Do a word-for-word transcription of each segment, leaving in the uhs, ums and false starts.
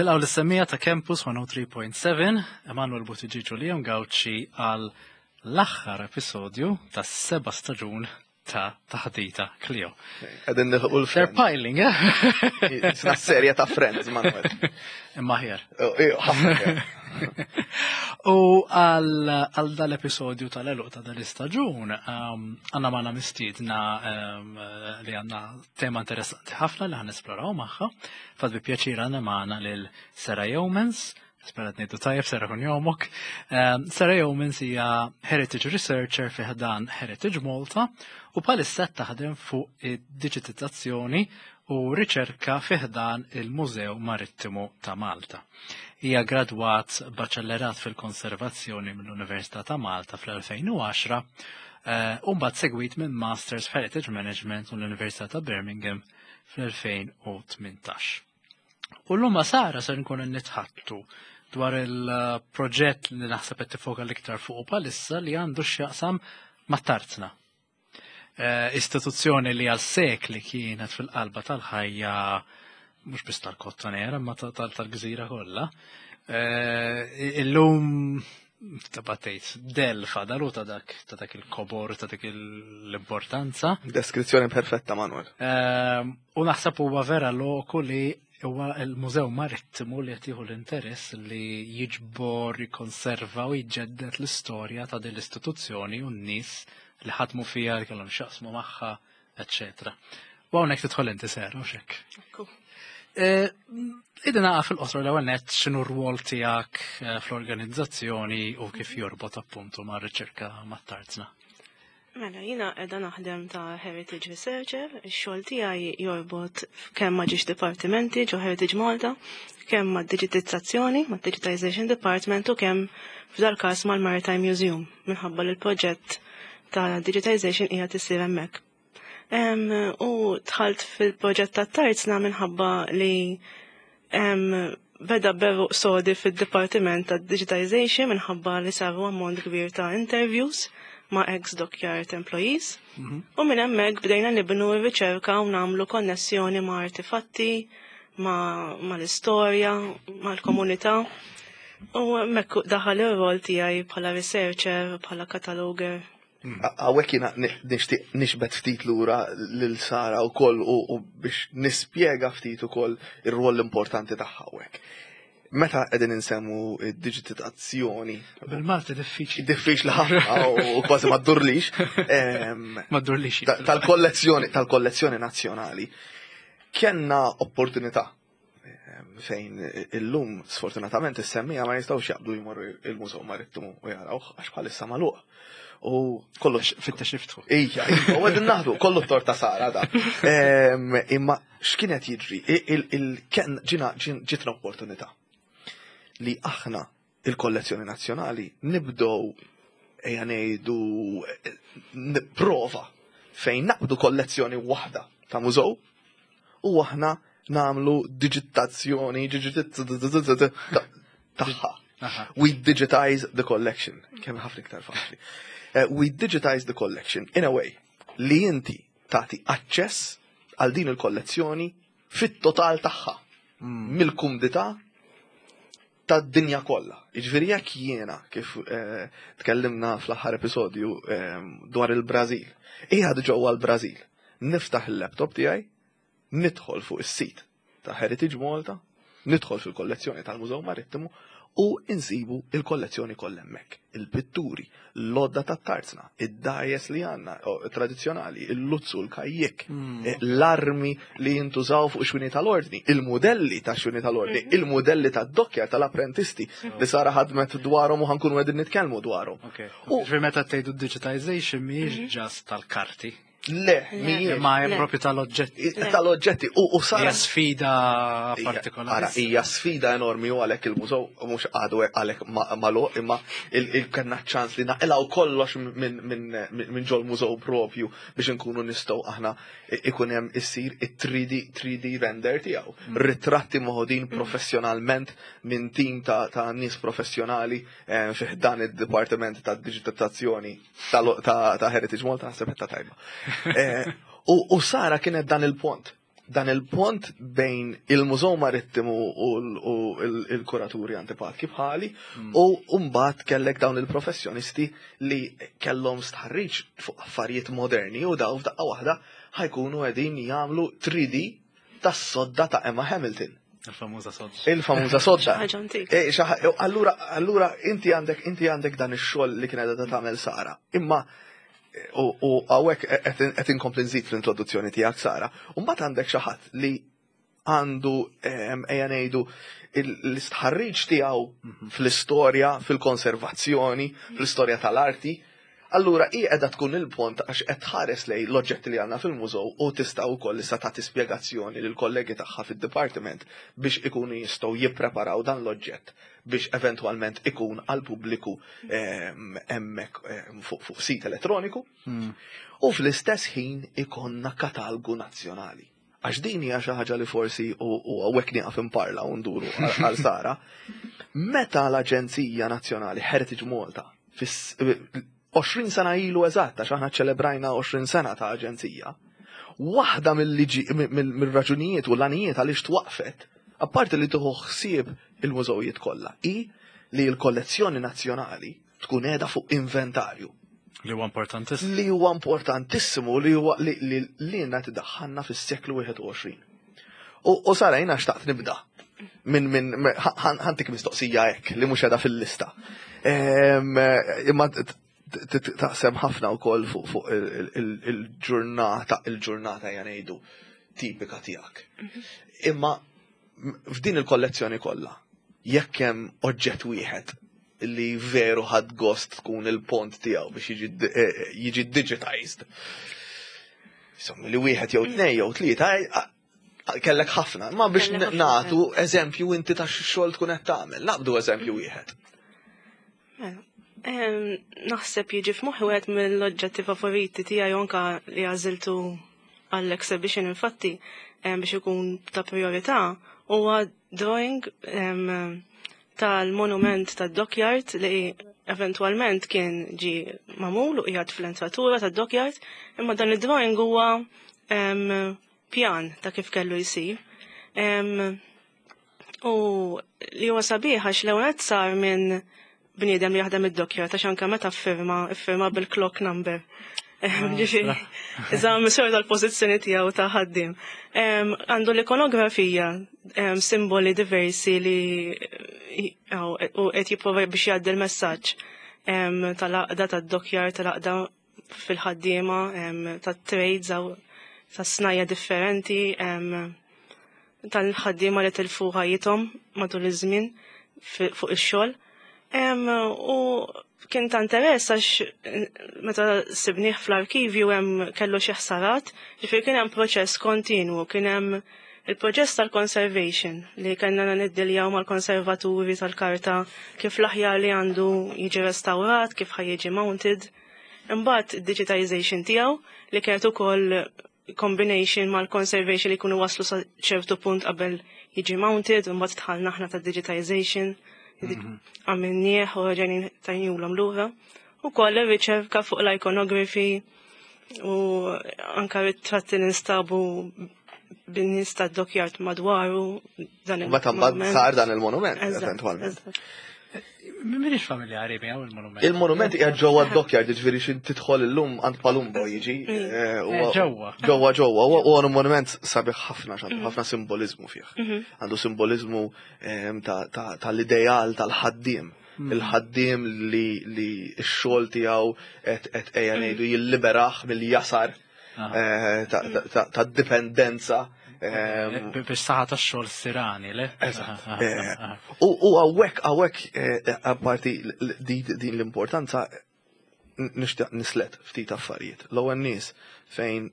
Nilqgħu lis-semmiegħa ta' Campus mija u tlieta punt seba', Emanuel Buttigieg u Liam Gauci, għal l-aħħar episodju tas seba' staġun ta' Taħdita Clio. Qegħdin nilħqu They're l-Friends. piling, eh? Sna serja ta' Friends, Manuel. Imma ħjar. Oh, eh, ħafna ħjar. U għal għal dal-episodju tal-għeluq ta' dal-istaġun, um, għandna magħna mistiedna um, li għandna tema interessanti ħafna li ħa nesploraw magħha. Fad bi pjaċir għandna magħna lil Sarah Yeomans, sperat ngħidu tajjeb, Sarah, kun jomok. Um, Sarah Yeomans hija Heritage Researcher fi ħdan Heritage Malta u bħalissa taħdem fuq id-diġitizzazzjoni u riċerka fi ħdan il-Mużew Marittimu ta' Malta. Hija gradwat baċellerat fil-konservazzjoni mill-Università ta' Malta fl-elfejn u għaxra eh, u mbagħad segwit minn Masters f'Heritage Management mill-Università ta' Birmingham fl-elfejn u tmintax. U llum ma' Sara ser nkunu nitħaddtu dwar il-proġett li naħseb qed tifoka l-iktar fuq bħalissa, li għandu x'jaqsam mat-tarzna. Eh, istituzzjoni li għal sekli kienet fil-qalba tal-ħajja mhux biss tal-Kottonera ma tal-gżira kollha. Eh, Illum tabatejt delfa dalu ta' dak ta' dak il-kobor, ta' dak l-importanza. Deskrizzjoni perfetta, Manuel. Ehm, U naħseb huwa vera loku li huwa il-Mużew Marittimu li qed jieħu l-interess li jiġbor, jikkonserva u jġeddet l-istorja ta' din l-istituzzjoni u n-nies li ħadmu fiha, li kellhom x'jaqsmu magħha, eċċetera. U hawnhekk tidħol inti, Sera, u xek. Idina fil-qosor l-ewwel nett x'inhu r-rwol tiegħek eh, fl-organizzazzjoni u kif jorbot appuntu mar-riċerka mat-tarzna. Mela, jiena qiegħda naħdem ta' Heritage Researcher, ix-xogħol tiegħi jorbot kemm ma' ġiex dipartimenti ġo Heritage Malta, kemm ma' digitizzazzjoni, ma' Digitization Department, u kemm f'dal każ mal-Maritime Museum, minħabba li l-proġett ta' digitization qiegħed isir hemmhekk. Em, U dħalt fil-proġett ta' tarzna minħabba li em, beda b'għeruq sodi fil-Dipartiment ta' Digitization, minħabba li saru ammont kbir ta' interviews ma' ex-dockyard employees. U minn hemmhekk bdejna nibnu r-riċerka u nagħmlu konnessjoni ma' artifatti, ma', ma l-istorja, ma' l-komunità. U hemmhekk daħal ir-rol tiegħi bħala researcher, bħala cataloger. Hawnhekk jiena nixtieq nixbet ftit lura lil Sara u koll u u biex nispjega ftit ukoll ir-rwol importanti tagħha hawnhekk. Meta qegħdin insemmu d-diġitizzazzjoni, Bil-Malti diffiċli. Diffiċli ħafna u kważi ma ddurlix. em, Ma ddurlix. ta- Tal-kollezzjoni tal-kollezzjoni nazzjonali kellna opportunità em, fejn illum sfortunatament is-semmiegħa ma jistgħux jaqbdu jmorru il-Mużew Marittimu u jarawh għax bħalissa magħluq. U kollox Fitta xiftħu. Ija, ija, u qegħdin naħdu, kollu t-tort ta' Sara da. Em, Imma x'kienet jiġri? Il-ken ġina ġin- ġitna opportunità li aħna il-kollezzjoni nazzjonali nibdow, ejja ngħidu, eh, prova fejn naqbdu kollezzjoni waħda ta' mużew u aħna nagħmlu digitazzjoni tagħha. Aha. We digitize the collection. Kemm ħafna iktar faċli. Uh, we digitize the collection in a way li inti tagħti aċċess għal din il-kollezzjoni fit-total tagħha mill-kumdità tad-dinja kollha. Jiġifieri jekk jiena, kif eh, tkellimna fl-aħħar episodju eh, dwar il-Brażil, qiegħed ġewwa l-Brażil, niftaħ il-laptop tiegħi, nidħol fuq is-sit ta' Heritage Malta, nidħol fil-kollezzjoni tal-Mużew Marittimu u insibu il-kollezzjoni kollha hemmhekk. Il-pitturi, l-għodda tat-tarzna, id-dgħajjes li għandna tradizzjonali, il-luzzu, l-kajjik, eh, l-armi li jintużaw fuq xwini tal-ordni, il-modelli ta' xwini tal-ordni, il-modelli ta' dockja tal-apprentisti li Sara ħadmet dwarhom u ħa nkunu qegħdin nitkellmu dwarhom. Ok. U- Ġifieri meta tgħidu digitization mhijiex just tal-karti. Le, mhijiex. Imma hemm Le. propju tal-oġġetti. Tal-oġġetti u u Sara Hija sfida Hija- partikolari. Ara, hija sfida enormi u għalhekk il-mużew mhux għadu għalhekk magħluq, imma il kellna ċans li naqilgħu kollox minn min, min ġol mużew propju biex inkunu nistgħu aħna ikun hemm issir it-three D three D render tiegħu. Ritratti moħodin professjonalment minn tim ta' ta' nies professjonali eh, fi dan id-dipartiment ta' digitalizzazzjoni tal- ta' ta' Heritage Malta, naħseb ta' tajba. Eh, U u Sara kienet dan il-pont. Dan il-pont bejn il-Mużew Marittimu u l- u il- il-kuraturi antipatki bħali u mbagħad kellek dawn il-professjonisti li kellhom stħarriġ fuq affarijiet moderni u daw f'daqqa waħda ħa jkunu qegħdin jagħmlu three D tas-sodda ta' Emma Hamilton. Il-famuża sodda. Il-famuża sodda. Ħaġa antika. Eh, xaħ- Allura, allura inti għandek inti għandek dan ix-xogħol li kien qiegħda tagħmel Sara. Imma u u hawnhekk qed inkompli nżid fl-introduzzjoni tiegħek, Sara. U mbagħad għandek xi ħadd li għandu em, ejja ngħidu il- l-istħarriġ tiegħu fl-istorja, fil-konservazzjoni, fl-istorja tal-arti. Allura hi qiegħda tkun il-pont għax qed tħares lejn l-oġġetti li għandna fil-mużew u tista' wkoll issa tagħti spjegazzjoni lil kollegi tagħha fid-dipartiment biex ikunu jistgħu jippreparaw dan l-oġġett biex eventwalment ikun għal pubbliku em, hemmhekk em, fuq fuq sit elettroniku. U fl-istess ħin ikonna katalgu nazzjonali. Għax din hija xi ħaġa li forsi u u hawnhekk nieqaf imparla u nduru għal għal Sara. Meta l-Aġenzija Nazzjonali Heritage Malta fis għoxrin sena ilu eżatt, għax aħna ċelebrajna għoxrin sena ta' aġenzija, waħda mill-liġi mill-raġunijiet u l-għanijiet għaliex twaqfet, apparti li tieħu ħsieb il-mużewijiet kollha, i li l-kollezzjoni nazzjonali tkun qiegħda fuq inventarju Li huwa importantissimu. Li huwa importantissimu, li huwa li li li għandna tiddaħħalna fis-seklu wieħed u għoxrin. U u Sara, jiena xtaqt nibda minn minn ħa ntik mistoqsija hekk li mhux qiegħda fil-lista. Em, Imma t- t- t- taqsem ħafna wkoll fuq fuq il- il- il-ġurnata il-ġurnata ja ngħidu tipika tiegħek. Imma f'din il-kollezzjoni kollha, jekk hemm oġġett wieħed li veru ħad gost tkun il-pont tiegħu biex jiġi eh, jiġi digitized. Insomma, li wieħed jew tnejn jew tlieta, eh, eh, kellek ħafna, ma biex Kellek ħafna. nagħtu eżempju inti ta' xogħol tkun qed tagħmel, naqbdu eżempju wieħed. Mela, em, naħseb jiġi f'moħħi wieħed mill-oġġetti favoriti tiegħi, anka li għażiltu għall-exhibition infatti em, biex ikun ta' priorità, huwa drawing em, tal-monument tad-dockyard li eventualment kien ġi magħmul u qiegħed fl-entratura tad-dockyard, imma dan id-drawing huwa em, pjan ta' kif kellu jsir. Em, U li huwa sabiħ għax l-ewwel sar minn bniedem li jaħdem id-dockyard, għax anke meta ffirma, iffirma bil-clock number. Ġifieri, iżda misur tal-pożizzjoni tiegħu ta' ħaddiem. Em, Għandu l-ikonografija, em, simboli diversi li għaw, u qed jipprova biex jgħaddi l-messaġġ em, tal-għaqda tad-dockyard, tal-għaqda fil-ħaddiema, em, tat-trades aw tas-snajja differenti, em, tal-ħaddiema li tilfu ħajjithom matul iż-żmien fi- fuq ix-xogħol. Em, U kien ta' interess għax eh, meta sibnieh fl-arkivju hemm kellu xi ħsarat, ġifieri kien hemm proċess kontinwu, kien hemm il-proċess tal-conservation li kellna niddiljaw mal-konservaturi tal-karta kif l-aħjar li għandu jiġi restawrat, kif ħa jiġi mounted. Imbagħad digitization tiegħu li kienet ukoll combination mal-conservation li jkunu waslu sa ċertu punt qabel jiġi mounted, u mbagħad dħalna aħna ta' digitization, għamilnieh u rġajna tajniehulhom lura. U koll riċerka fuq l-iconography u anka ritratti li nstabu bin-nies tad-dockyard madwaru dan U meta mbagħad il-monument. sar dan il-monument Eżatt, eventwalment. eżatt. M'iniex familjari miegħu il-monument. Il-monument hija ġewwa d-dockyard, jiġifieri xi tidħol illum għand Palumbo jiġi. eh, huwa- Eh, ġewwa. Ġewwa ġewwa, huwa huwa monument sabiħ ħafna, għandu ħafna simbolizmu fih. Għandu simbolizmu ehm, ta- ta- tal-ideal tal-ħaddiem. Il-ħaddiem li li x-xogħol tiegħu qed qed ejja ngħidu jilliberaħ mill-jasar eh, ta- ta- ta- ta' dipendenza. ehm, Biex saħħa tax-xogħol sirani, le? Eżatt. Aha, Eh, aha. U u hawnhekk hawnhekk eh, apparti l- l- di- din l-importanza n- nixtieq nislet ftit affarijiet. L-ewwel nies fejn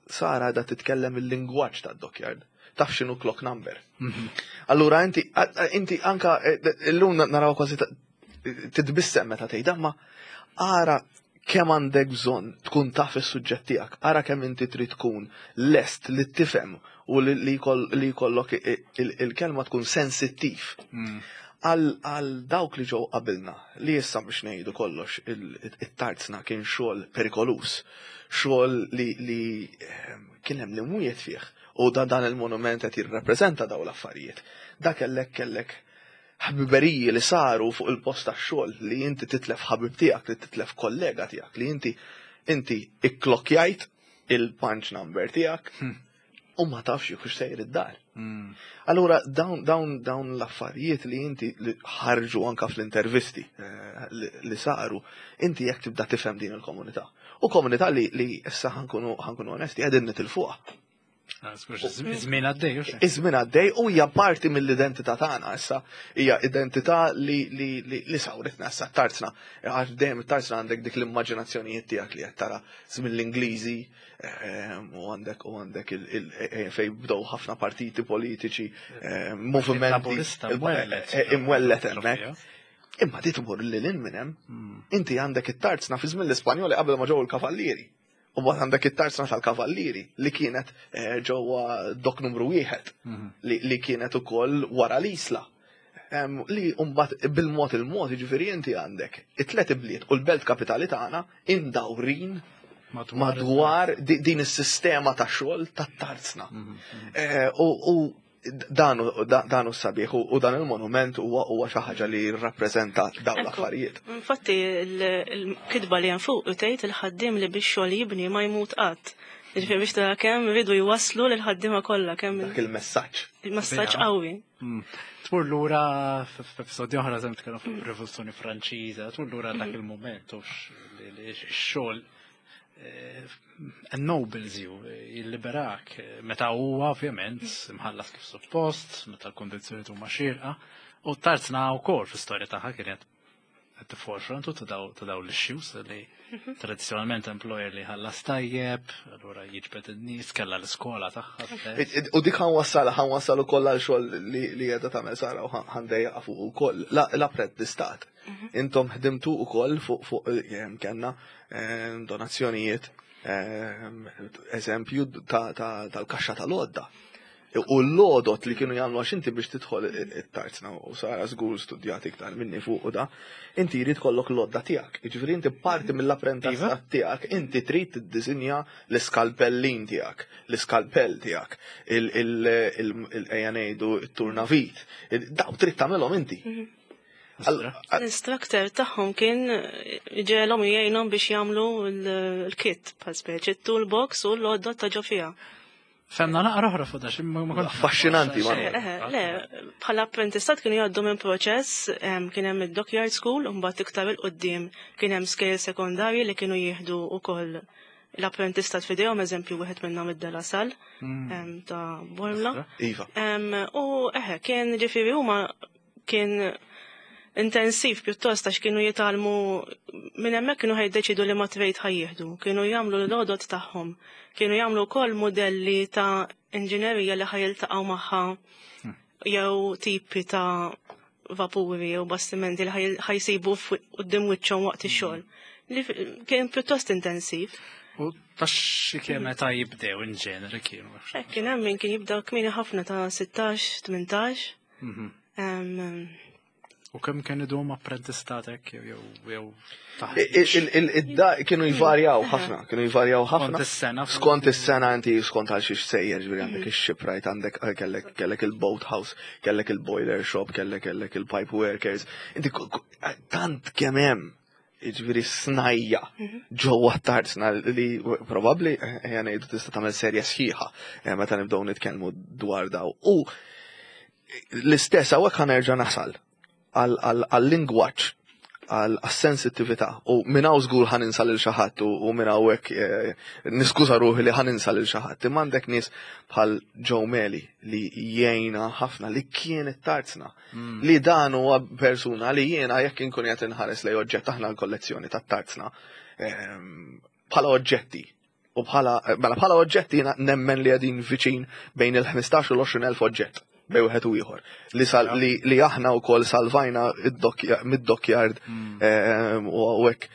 Sara da titkellem il-lingwaġġ tad-dockyard. Taf x'inhu clock number. Allura inti a- a- inti anka eh, illum naraw kważi ta- titbissem meta tgħidha, ma ara kemm għandek bżonn tkun taf is-suġġett tiegħek, ara kemm inti trid tkun lest li tifhem u li li jkoll- li jkollok i- il- il-kelma tkun sensittiv. Mm. Għal dawk li ġew qabilna, li issa biex ngħidu kollox, it-tarzna kien xogħol perikolus, xogħol li li ehm, kien hemm l-imwiet fih, u da dan il-monument qed jirrappreżenta daw l-affarijiet. Da kellek kellek ħbiberiji li saru fuq il-post tax-xogħol, li inti titlef ħabib tiegħek, li titlef kollega tiegħek, li inti inti ikklokkjajt il-punch number tiegħek hmm. u ma tafx jekk sejr id-dar. Hmm. Allura dawn dawn dawn l-affarijiet li inti li ħarġu anka fl-intervisti eh, li saru, inti jekk tibda tifhem din il-komunità. U komunità li li issa ħa nkunu ħa nkunu onesti, qegħdin nitilfuha. Iż-żmien għaddej, Iż-żmien għaddej u hija parti mill-identità tagħna issa. Hija identità li li li sawritna issa tarzna. Għax dejjem tarzna għandek dik l-immaġinazzjonijiet tiegħek li qed tara żmien l-Ingliżi ehm, u għandek u għandek eh, fej bdew ħafna partiti politiċi, ehm, movimenti imwellet hemmhekk. Imma di tmur lil hinn minn hemm. Hmm. Inti għandek it-tarzna fi żmien l-Ispanjoli qabel ma ġew il-kavallieri. U mbagħad għandek it-tarzna tal-kavallieri li kienet eh, ġewwa dok numru wieħed mhm. li kienet ukoll wara l-Isla. Li mbagħad bil-mod il-mod, jiġifieri inti għandek it-tlet ibliet u l-belt kapitali tagħna indawrin madwar din is-sistema ta' xogħol tat-tarzna. Mhm, mhm. Eh, u dan dan sabiħ u dan il-monument huwa huwa xi ħaġa li jirrappreżenta dawn l-affarijiet. Infatti il-kitba li hemm fuq tgħid, "Il-ħaddiem li biex xogħol jibni ma jmut qatt." Ġifieri biex tara kemm rridu jwasslu lil ħaddiema kollha kemm dak il-messaġġ. Il-messaġġ qawwi. Mm. Tmur lura f'episodju oħra żemm tkellem fuq ir-Rivoluzzjoni Franċiża, tmur lura dak il-mument u x-xogħol eh, ennobles you, jilliberak, meta huwa ovvjament imħallas kif suppost, meta l-kondizzjoni huma xierqa, u tarzna wkoll fl-istorja tagħha kienet at the forefront ta' daw ta' daw l-issues li tradizzjonalment employer li ħallas tajjeb, allura jiġbed in-nies, kellha l-iskola tagħha stess. U dik ħa nwassal, ħa nwassal ukoll għal xogħol li li qiegħda tagħmel Sara u ħa ndejjaqha fuq ukoll l-apprentistat. Intom ħdimtu ukoll fuq fuq eh, kellna eh, donazzjonijiet, eh, eżempju tal-kaxxa tal-għodda. U l-għodod li kienu jagħmlu, għax inti biex tidħol it-tarzna, u Sara żgur studjat iktar minni fuq u da, inti jrid kollok l-għodda tiegħek. Jiġifieri inti parti mill-apprentistat tiegħek, inti trid tiddisinja l-iskalpellin tiegħek, l-iskalpell tiegħek, il-ejja ngħidu it-turnavit. Daw trid tagħmelhom inti. L-instructor tagħhom kien ġelhom jgħinhom biex jagħmlu l-kit bħal speċi toolbox u l-għodda ta' ġo fiha. Fehmna naqra oħra fuq da, ma kont. Affaxxinanti, ma. Le, bħala apprentistat kienu jgħaddu minn proċess, kien hemm id-Dockyard School, u mbagħad iktar 'il quddiem kien hemm skejjel sekondarji li kienu jieħdu wkoll l-apprentistat f'idejhom, eżempju wieħed minnhom id-De La Salle mm. ta' Bormla. Iva. U eħe, kien ġifieri huma kien intensiv pjuttost għax kienu jitgħallmu minn hemmhekk, kienu ħa jiddeċidu li ma trade ħa jieħdu, kienu jagħmlu l-għodod tagħhom, kienu jagħmlu wkoll modelli ta' inġinerija li ħa jiltaqgħu magħha jew tipi ta' vapuri jew bastimenti li ħa jsibu quddiem wiċċhom waqt ix-xogħol. Li kien pjuttost intensiv. U ta' xi kemm meta jibdew in ġenere kienu? Kien hemm min kien jibda kmieni ħafna ta' sittax, tmintax. Mhm. U kemm kien idum apprentistatek jew jew Il-da kienu jvarjaw ħafna, kienu jvarjaw ħafna. Skont is-sena. Skont is-sena inti skont għal xiex sejjer, ġifieri għandek ix-shipwright, għandek eh, kellek kellek il-boathouse, kellek il-boiler shop, kellek kellek il-pipe workers. Inti tant kemm hemm ġifieri snajja ġewwa tarzna li probabbli ejja ngħidu tista' tagħmel serja sħiħa eh, meta nibdew nitkellmu dwar daw. U l-istess hawnhekk ħa nerġa' nasal għal-lingwaġġ, għal-sensittività, u minn hawn żgur ħa ninsa lil xi ħadd u minn hawnhekk eh, niskuża ruħi li ħa ninsa lil xi ħadd. Imma għandek nies bħal Joe Meli li jgħinna ħafna li kien it-tarzna. Mm. Li dan huwa persuna li jiena jekk inkun qed inħares lej oġġett, aħna l-kollezzjoni tat-tarzna ehm, bħala oġġetti u bħala mela bħala oġġetti jiena nemmen li qegħdin viċin bejn il-ħmistax u l-għoxrin elf oġġett bej wieħed u ieħor. Li, sal, li, li aħna wkoll salvajna mid-dockyard mm. ehm, u hekk.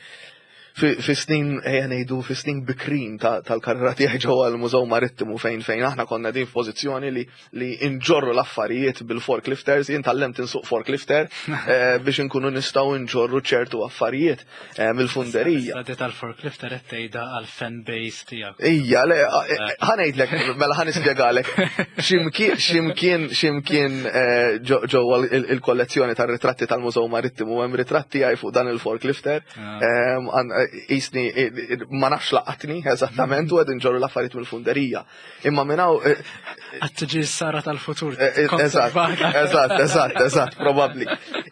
Fi snin, ejja ngħidu, fi snin bikrin tal-karriera tiegħi ġewwa l-Mużew Marittimu, fejn fejn aħna konna din f'pożizzjoni li li nġorru l-affarijiet bil-forklifters, jien tgħallimt insuq forklifter eh, biex inkunu nistgħu nġorru ċertu affarijiet eh, mill-funderija. Sa tal-forklifter qed tgħidha għal-fan base tiegħek. Ija, le, eh, ħa ngħidlek, mela ħa nispjegalek. Ximkien, ximkien, ximkien ġewwa il-kollezzjoni tar-ritratti tal-Mużew Marittimu hemm ritratti għaj fuq dan il-forklifter. Ah. Jisni, ma nafx laqatni eżattament u qed inġorru l-affarijiet mill-funderija. Imma minn hawn. Għad tiġi Sara tal-futur. Eżatt, eżatt, eżatt, eżatt, probabbli.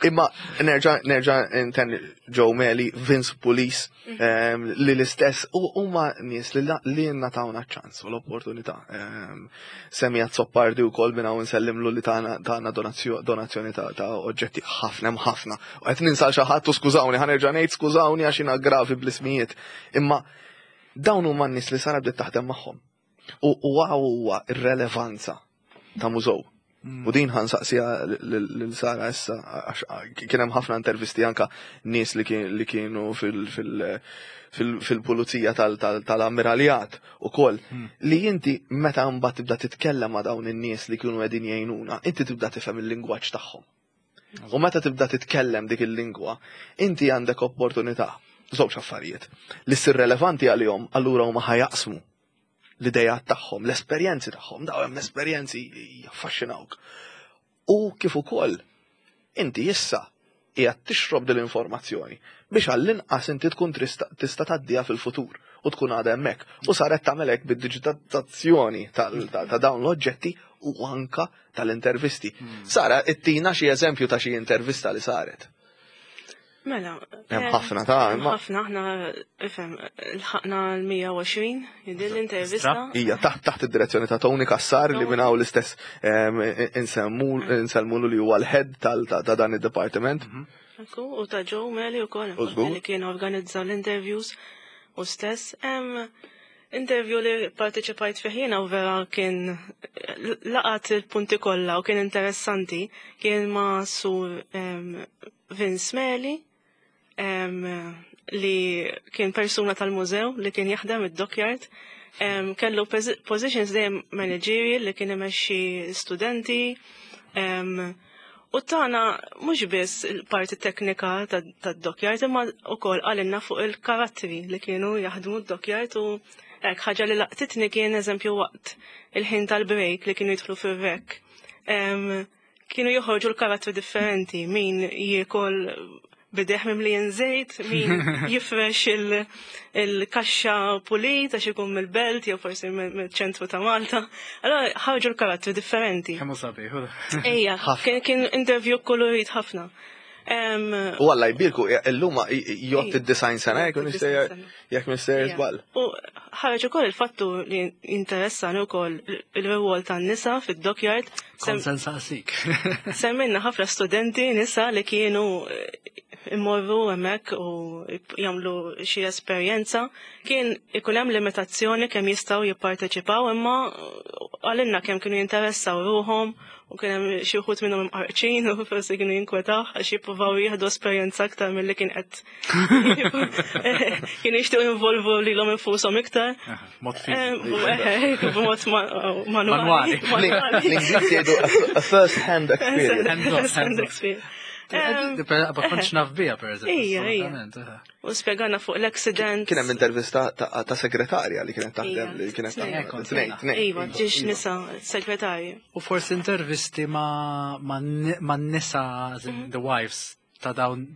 Imma nerġa' nerġa' intenni Joe Meli, Vince Police, li l-istess, u huma nies li li tawna ċans u l-opportunità. Semija Zoppardi u kol minn hawn nsellimlu li tana donazzjoni ta' oġġetti ħafna ħafna. U qed ninsa xi ħadd u skużawni, ħa nerġa' ngħid skużawni għax jiena gravi bl-ismijiet. Imma dawn huma n-nies li Sara bdiet taħdem magħhom. U huwa ir-relevanza ta' mużew. Mm. U din ħa nsaqsiha lil Sara issa, għax kien hemm ħafna intervisti anka nies li kienu fil-pulizija tal-ammiraljat ukoll mm. li inti meta mbagħad tibda titkellem ma' dawn in-nies li kienu qegħdin jgħinuna, inti tibda tifhem il-lingwaġġ tagħhom. U meta tibda titkellem dik il-lingwa, inti għandek opportunità, żewġ affarijiet, li ssir relevanti għalihom, allura huma ħa jaqsmu l-idejat tagħhom, l-esperjenzi tagħhom, daw hemm esperjenzi jaffaxxinawk. U kif ukoll inti issa qiegħed tixrob dil-informazzjoni biex għall-inqas inti tkun tista' tgħaddiha fil-futur u tkun għadha hemmhekk. U saret tagħmel hekk bid-diġitalizzazzjoni ta' dawn l-oġġetti u anka tal-intervisti. Hmm. Sara, ittina xi eżempju ta' xi intervista li saret. Mela. Hemm ħafna ta' imma. Ħafna, aħna, ifhem, lħaqna l-mija u għoxrin jidil l-intervista. Ija, taħt taħt id-direzzjoni ta' Tony Kassar li minn hawn l-istess insellmulu li huwa l-head ta' dan id-departiment. Mhm. Ekku, u ta' Joe Meli u koll, li kien organizza l-interviews u stess. Interview li parteċipajt fih jiena u vera kien laqat il-punti kollha u kien interessanti, kien ma' Sur Vince Meli, li kien persuna tal-mużew li kien jaħdem id-dockyard. Kellu positions dejjem managerial li kien imexxi studenti. U tana mhux biss il-parti teknika tad-dockyard imma wkoll qalilna fuq il-karattri li kienu jaħdmu d-dockyard u hekk ħaġa li laqtitni kien eżempju waqt il-ħin tal-break li kienu jidħlu fir-rek. Kienu joħorġu l-karattri differenti, min jiekol b'idejh mimlijin żejt, min jifrex il-kaxxa pulit għax ikun mill-belt jew forsi mill-ċentru ta' Malta. Allora ħarġu l-karattri differenti. Kemm sabiħ. Ejja, kien interview kolorit ħafna. U Alla jbierku, illum jgħodd id-disgħin sena, jekk m'iniex żball. U ħareġ ukoll il-fattu li interessani wkoll il-rwol tan-nisa fid-dockyard. Kont se nsaqsik. Semmilna ħafna studenti nisa li kienu immorru hemmhekk u jagħmlu xi esperjenza. Kien ikun hemm limitazzjoni kemm jistgħu jipparteċipaw, imma qalilna kemm kienu jinteressaw ruhom u kien hemm xi wħud minnhom imqarqċin u forsi kienu jinkwetaw għax jippruvaw jieħdu esperjenza aktar milli kien qed kienu jixtiequ jinvolvu lilhom infushom iktar. Mod B'mod manwali. L-Ingliż jgħidu a first hand experience. First hand experience. Ma kontx naf biha, per eżempju. Ija, ija. U spjegana fuq l-accident. Kien hemm intervista ta' segretarja li kienet taħdem li kienet taħdem. Tnejn, tnejn. Iva, ġiex nisa segretarji. U forsi intervisti ma' nisa, the wives ta' dawn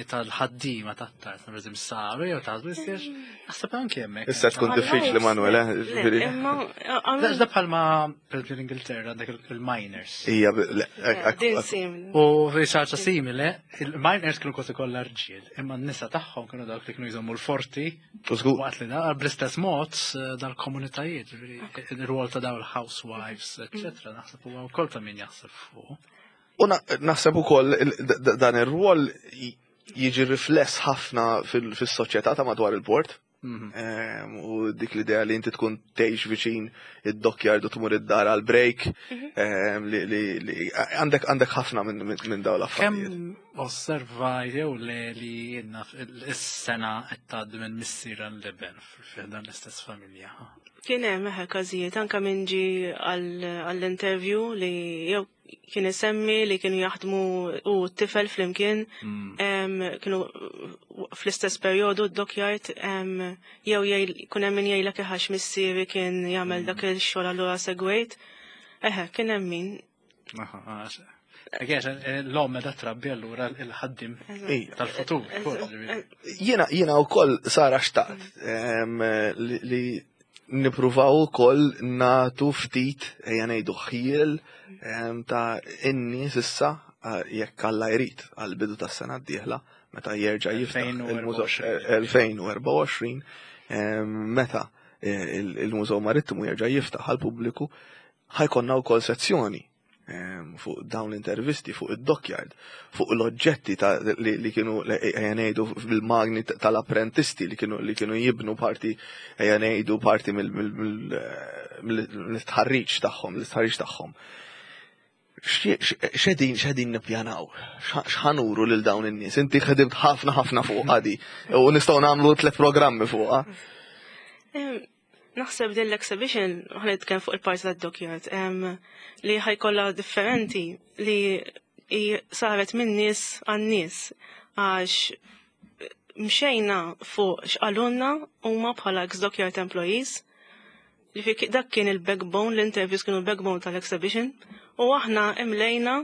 tal-ħaddima ta' tard, per eżempju, saru, jew ta' bistiex, naħseb anke hemmhekk. Issa tkun diffiċli, Manuel, eh? Imma. Da bħalma, per eżempju, l-Ingilterra għandek il-miners. Ija, Din simili. U xi ħaġa simili, il-miners kienu kważi kollha rġiel, imma n-nisa tagħhom kienu dawk li kienu jżommu l-forti. Waqt li da, bl-istess mod dal-komunitajiet, il-rwol ta' daw il-housewives, eccetera, naħseb huwa wkoll ta' min jaħseb fuq. U naħseb ukoll dan ir-rwol jiġi rifless ħafna fis-soċjetà ta' madwar il-port. Mhm. U dik l-idea li inti tkun tgħix viċin id-dockyard u tmur id-dar għal break, mhm. li għandek għandek ħafna minn dawn l-affarijiet. Osserva jew le li jenna is-sengħa qed tgħaddi minn missier għall-iben f'dan l-istess familja? Kien hemm, eħe, każijiet anke min ġie għall-interview li jew kien isemmi li kienu jaħdmu u t-tifel flimkien, em, kienu fl-istess perjodu d-dockyard, em, jew jgħid- kun hemm min jgħidlek għax missieri kien jagħmel dak il-xogħol, allura segwejt. Eħe, kien hemm min. Aha, għax. Għax, l-omm da trabbi allura il-ħaddim Ija. tal-futur. Ukoll, ġifieri. Jiena jiena wkoll, Sara, xtaqt em, li, li nipruvaw ukoll nagħtu ftit, ejja ngħidu, ħjiel em, ta' in-nies issa, eh, jekk Alla jrid, għal bidu tas-sena d-dieħla meta jerġa' jiftaħ il-mużew elfejn u erbgħa u għoxrin, em, meta eh, il- il-Mużew Marittimu jerġa' jiftaħ għal pubbliku, ħa jkollna wkoll sezzjoni em, fuq dawn l-intervisti, fuq id-dockyard, fuq l-oġġetti ta' li, li kienu, ejja ngħidu, bil-magni tal-apprentisti li kienu li kienu jibnu parti, ejja ngħidu, parti mill-istħarriġ tagħhom, l-istħarriġ tagħhom. X'qegħdin x'qegħdin nippjanaw? X'ħa nuru lil dawn in-nies? Inti ħedimt ħafna ħafna fuq għadi u nistgħu nagħmlu tliet programmi fuqha. Em, Naħseb din l-exhibition, ħa nitkellem fuq il-parti tad-dockyard, em, li ħa jkollha differenti li i- saret minn nies għan-nies, għax mxejna fuq x'qalulna huma bħala ex-dockyard employees. Ġifieri dak kien il-backbone, l-interviews kienu l-backbone tal-exhibition, u aħna imlejna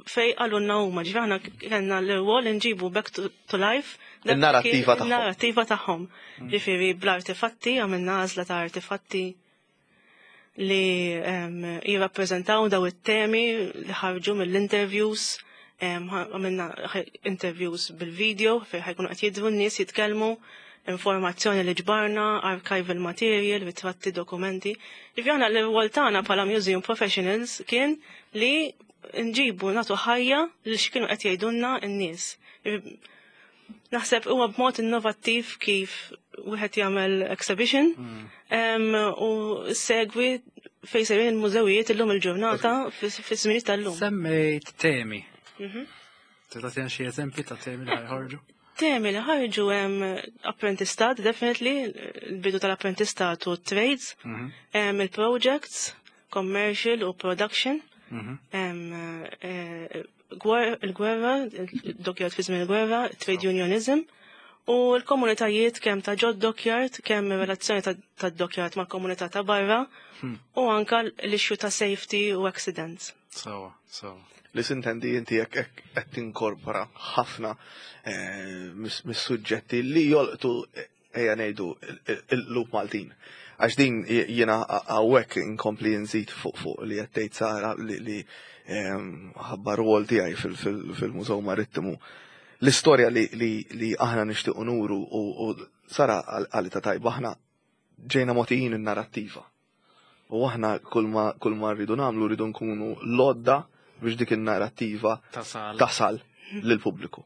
fej qalulna huma, ġifieri aħna kellna l-rwol nġibu back to, to life dak Il-narrattiva kien- tagħhom. Il-narrattiva tagħhom. Ġifieri bl-artefatti, għamilna għażla ta' artefatti li em, jirrappreżentaw daw it-temi li ħarġu mill-interviews, em, għamilna interviews bil-video fejn ħa jkunu qed jidhru n-nies jitkellmu, informazzjoni li ġbarna, archival material, ritratti, dokumenti. Ġifieri aħna l-rwol tagħna bħala museum professionals kien li nġibu, nagħtu ħajja li x'kienu qed jgħidulna n-nies. Naħseb huwa b'mod innovattiv kif wieħed jagħmel exhibition em, u segwi fejn sejrin il-mużewijiet illum il-ġurnata, fis-żminijiet tal-lum. Semmejt temi. Tista' tagħtina xi eżempji ta' temi li ħa joħorġu? Temi li ħarġu hemm apprentistat, definitely, il-bidu tal-apprentistat u trades, hemm il-projects, commercial u production, hemm eh, gwer- il-gwerra, il-dockyard fi żmien il-gwerra, trade unionism, u l-komunitajiet kemm ta' ġod dockyard, kemm relazzjoni ta' ta' dockyard mal-komunità ta' barra, u anka l-issue ta' safety u accidents. Sawa, sawa. Li sintendi inti jekk hekk qed tinkorpora ħafna eh, mis- mis-suġġetti li jolqtu, eh, ejja ngħidu, il-qlub Maltin. Għax din jiena hawnhekk inkompli nżid fuq fuq li qed tgħid Sara li li em, ħabba rwol tiegħi fil- fil- fil-Mużew Marittimu. L-istorja li, li, li aħna nixtiequ nuru u, u Sara għalita tajba, aħna ġejna mogħtijin in-narrattiva. U aħna kull ma kull ma rridu nagħmlu, rridu nkunu l-għodda biex dik in-narrattiva Tasal. tasal lill-pubbliku.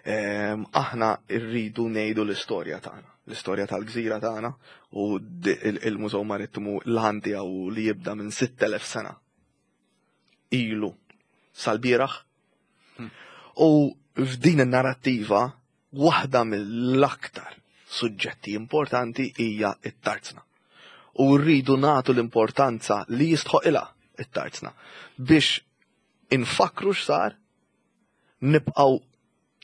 Em, Aħna rridu ngħidu l-istorja tagħna, l-istorja tal-gżira tagħna, u di- il- il-Mużew Marittimu l-għan tiegħu li jibda minn sitt elef sena ilu sal-bieraħ. U f'din in-narrattiva waħda mill-aktar suġġetti importanti hija it-tarzna. U rridu nagħtu l-importanza li jistħoqilha it-tarzna biex infakru x'sar, nibqgħu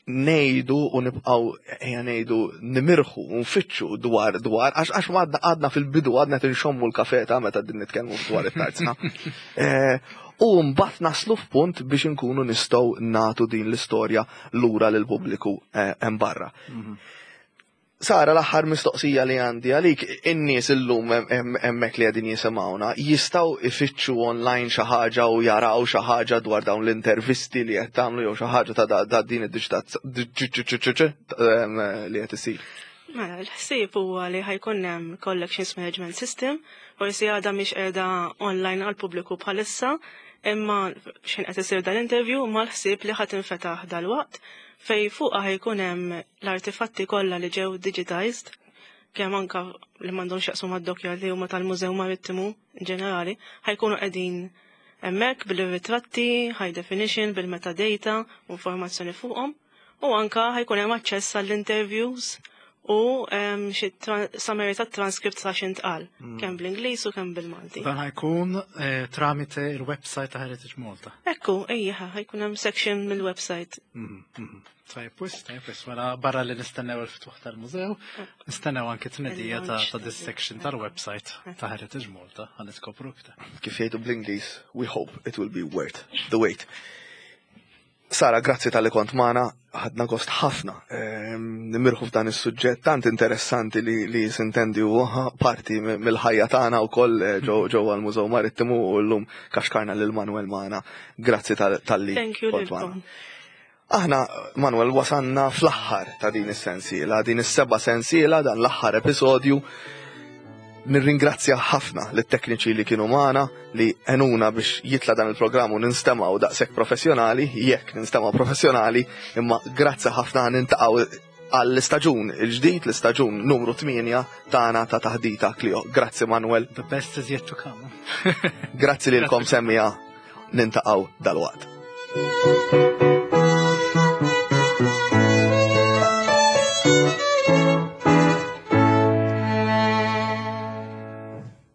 ngħidu u nibqgħu, ejja ngħidu, nimirħu u nfittxu dwar dwar għax għax għadna għadna fil-bidu, għadna tinxommu l-kafe ta' meta din nitkellmu dwar it-tarzna. Eh, U mbagħad naslu f'punt biex inkunu nistgħu nagħtu din l-istorja lura lil pubbliku eh, hemm barra. Sara, l-aħħar mistoqsija li għandi għalik, in-nies illum hemmhekk li qegħdin jisimgħuna jistgħu ifittxu online xi ħaġa u jaraw xi ħaġa dwar dawn l-intervisti li qed tagħmlu jew xi ħaġa ta' da- din id-diġitalizzazzjoni li qed isir? Mela, l-ħsieb huwa li ħa jkun hemm collections management system, forsi għadha mhix qiegħda online għal pubbliku bħalissa, imma x'ħin qed isir dan interview ma l-ħsieb li ħa tinfetaħ dal-waqt, fej fuqha ħa jkun hemm l-artefatti kollha li ġew digitized, kemm anka li m'għandhomx jaqsmu mad-dockyard li huma tal-Mużew Marittimu in ġenerali, ħa jkunu qegħdin Hemmhekk bil-ritratti, high definition, bil-metadata, u informazzjoni fuqhom. U anka ħa jkun hemm aċċess għall-interviews u em, xi tra- summary ta' transcript ta' x'intqal, kemm bl-Ingliż u kemm bil-Malti. Dan ħa jkun eh, tramite il-website ta' Heritage Malta. Ekku, ejja, ħa jkun hemm section mill-website. Mhm, mhm. Tajjeb wisq, tajjeb wisq, mela barra li nistennew il-ftuħ tal-mużew, nistennew anke tnedija ta' Il-launch ta' this section tal-website ta' Heritage Malta, ħa niskopru iktar. Kif jgħidu bl-Ingliż, we hope it will be worth the wait. Sara, grazzi talli kont magħna, ħadna gost ħafna. Ehm, Nimirħu f'dan is-suġġett tant interessanti li, li sintendi u parti mi- mill-ħajja tagħna wkoll eh, ġo ġewwa l-Mużew Marittimu u llum kaxkarna lil Manuel magħna. Grazzi tal- talli Thank you kont magħna. lilkom. Aħna, Manuel, wasanna fl-aħħar ta' din is-sensiela, din is-seba' sensiela, dan l-aħħar episodju. Nirringrazzja ħafna lit-tekniċi li kienu magħna li għenuna biex jitla dan il-programm u ninstemgħu daqshekk professjonali, jekk ninstemgħu professjonali, imma grazzi ħafna niltaqgħu għall-istaġun il-ġdid, l-istaġun numru tmienja tagħna ta' Taħdita Klio. Grazzi, Manuel, The best is yet to come. Grazzi lilkom semmiegħa, niltaqgħu dalwaqt.